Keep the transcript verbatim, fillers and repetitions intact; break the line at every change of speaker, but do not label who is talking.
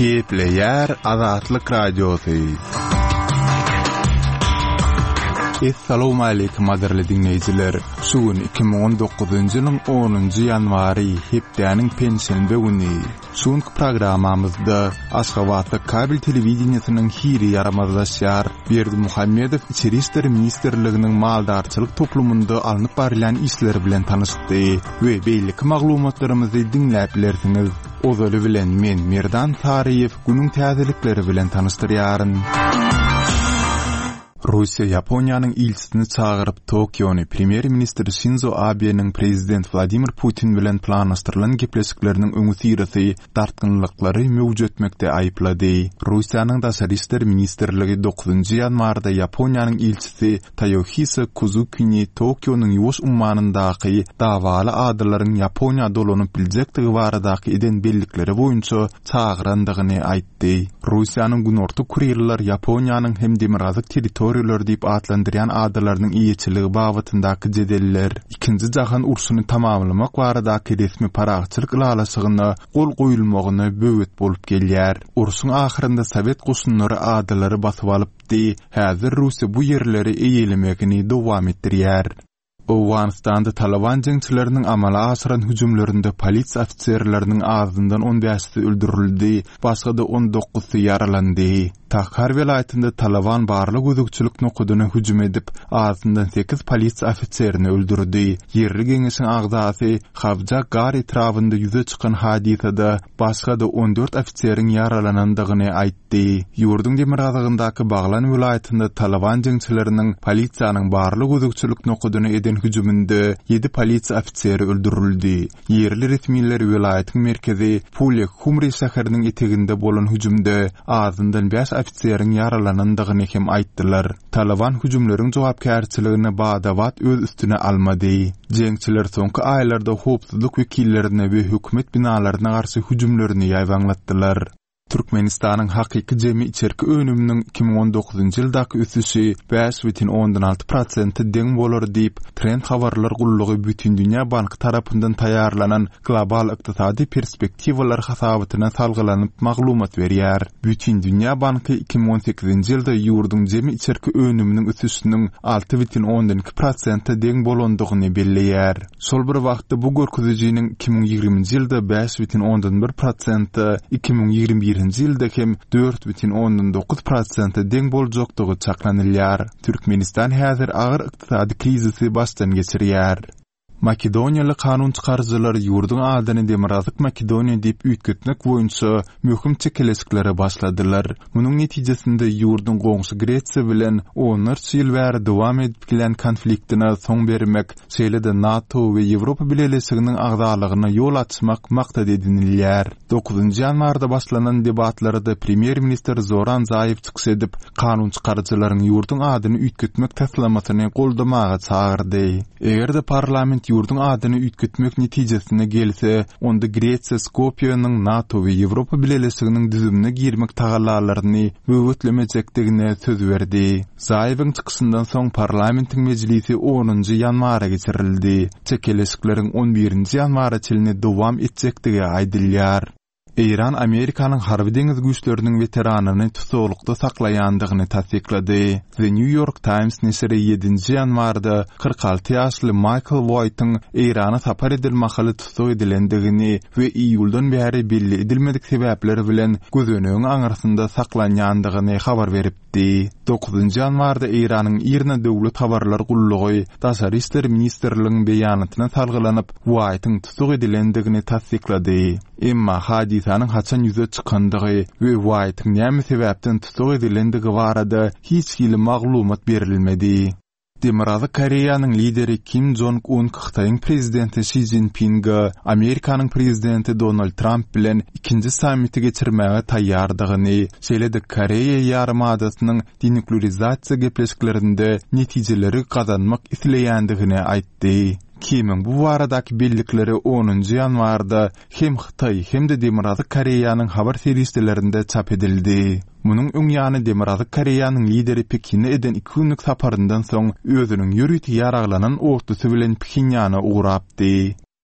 Gepleýär Azatlyk Radiosy. Essalawmaleýkim gadyrly diňleýjiler! Şu gün iki müň on dokuzynjy ýylyň onunjy ýanwary, hepdäniň penşenbe güni. Şu günki programmamyzda Aşgabatda kabel telewideniýesiniň hili ýaramazlaşýar. Berdimuhamedow Içeri işler ministrliginiň maldarçylyk toplumynda alnyp barylýan işler bilen tanyşdy we beýleki maglumatlarymyzy diňläp bilersiňiz. Ozaly bilen men Merdan Saryýew günüň täzelikleri bilen tanyşdyrýaryn. Russiýa Ýaponiýanyň ilçisini çagyryp, Tokiony premýer-ministr Şinzo Abeniň prezident Wladimir Putin bilen planlaşdyrylan gepleşikleriniň öňüsyrasy dartgynlyklary möwjetmekde aýyplady. Russiýanyň Daşary işler ministrligi dokuzynjy ýanwarda Ýaponiýanyň ilçisi Toýohisa Kuzukini Tokionyň Ýuwaş ummanyndaky dawaly adalaryň Ýaponiýa dolanyp biljekdigi baradaky eden bellikleri boýunça çagyrandygyny aýtdy. Russiýanyň Günorta Kuriller Ýaponiýanyň hem Demirgazyk territoriýalary diýip atlandyrýan adalarynyň eýeçiligi babatyndaky jedeller Ikinji jahan urşuny tamamlamak baradaky resmi parahatçylyk ylalaşygyna gol goýulmagyna böwet bolup gelýär. Urşuň ahyrynda sowet goşunlary adalary basyp alypdy, häzir Russiýa bu ýerleri eýelemegini dowam etdirýär. Owganystanda Taliban jeňçileriniň amala aşyran hüjümlerinde polisiýa ofiserleriniň azyndan on bäşisi öldürildi, başga-da on dokuzsy ýaralandy. Takhar welaýatynda Taliban barly gözegçilik nokadyna hüjüm edip, azyndan sekiz polisiýa ofiserini öldürdi. Ýerli geňeşiň agzasy Hawja Gar etrabynda ýüze çykan hadysada başga-da on dört ofiseriň ýaralanandygyny aýtdy. Ýurduň demirgazygyndaky Baglan welaýatynda Taliban jeňçileriniň polisiýanyň barly gözegçilik nokadyna eden hüjüminde ýedi polisiýa ofiseri öldürildi. Ýerli resmiler welaýatyň merkezi Pulek Humri şäheriniň eteginde bolan hüjümde azyndan bäş ofiseriň ýaralanandygyny hem aýtdylar. Taliban hüjümleriň jogapkärçiligini badabat öz üstüne almady. Jeňçiler soňky aýlarda howpsuzlyk wekillerine we hökümet binalaryna garşy hüjümlerini ýaýbaňlatdylar. Türkmenistanyň hakyky jemi içerki önüminiň iki müň on dokuzynjy ýyldaky ösüşi bäş bütin ondan alty prosente deň bolar diýip, Trend habarlar gullugy Bütindünýä banky tarapyndan taýýarlanan global ykdysady perspektiwalar hasabatyna salgylanyp maglumat berýär. Bütindünýä banky iki müň on sekizinji ýylda ýurduň jemi içerki önüminiň ösüşiniň alty bütin ondan iki prosente deň bolandygyny belleýär. Şol bir wagtda bu görkezijiniň iki müň ýigriminji ýylda bäş bütin ondan bir prosente, iki müň ýigrimi birinji ýylda hem dört bütin ondan dokuz prosente deň boljakdygy çaklanylýar. Türkmenistan häzir agyr ykdysady krizisi başdan geçirýär. Makedoniýaly kanun çykaryjylar ýurduň adyny Demirgazyk Makedoniýa diýip üýtgetmek boýunça möhüm çekeleşiklere başladylar. Munuň netijesinde ýurduň goňşy Gresiýa bilen onlarça ýyl bäri dowam edip gelen konfliktine soň bermek, şeýle-de NATO we Ýewropa Bileleşiginiň agzalygyna ýol açmak maksat edinilýär. Dokuzynjy ýanwarda başlanan debatlarda premýer-ministr Zoran Zaýew çykyş edip, kanun çykaryjylaryň ýurduň adyny üýtgetmek taslamasyny goldamaga çagyrdy. Eger-de parlament ýurduň adyny üýtgetmek netijesine gelse, onda Gresiýa Skopýanyň NATO we Ýewropa Bileleşiginiň düzümine girmek tagallalaryny böwetlemejekdigine söz berdi. Zaýewiň çykyşyndan soň parlamentiň mejlisi onunjy ýanwara geçirildi. Çekeleşikleriň on birinji ýanwara çenli dowam etjekdigi aýdylýar. Eýran Amerikanyň harby deňiz güýçleriniň weteranyny tussaglykda saklaýandygyny tassyklady. The New York Times neşiri ýedinji ýanwarda kyrk alty ýaşly Michael White'yň Eýrana sapar eden mahaly tussag edilendigini we iýuldan bäri belli edilmedik sebäpler bilen gözenegiň aňyrsynda saklanýandygyny habar beripdi. Dokuzynjy ýanwarda Eýranyň IRNA döwlet habarlar gullugy Daşary işler ministrliginiň beýanatyna salgylanyp, White'yň tussag edilendigini tassyklady. Emma hadysanyň haçan ýüze çykandygy we White'yň näme sebäpden tussag edilendigi barada hiç hili maglumat berilmedi. Demirgazyk Koreýanyň lideri Kim Jong-un Hytaýyň prezidenti Şi Szinpinge Amerikanyň prezidenti Donald Tramp bilen ikinji sammiti geçirmäge taýýardygyny, şeýle-de Koreýa ýarymadasynyň denuklearizasiýa gepleşiklerinde netijeleri gazanmak isleýändigini aýtdy. Kimiň bu baradaky bellikleri onunjy ýanwarda hem Hytaý hem-de Demirgazyk Koreýanyň habar serişdelerinde çap edildi. Munuň öň ýany Demirgazyk Koreýanyň lideri Pekine eden iki günlük saparyndan soň özüniň ýörite ýaraglanan otlusy bilen Phenýana ugrapdy.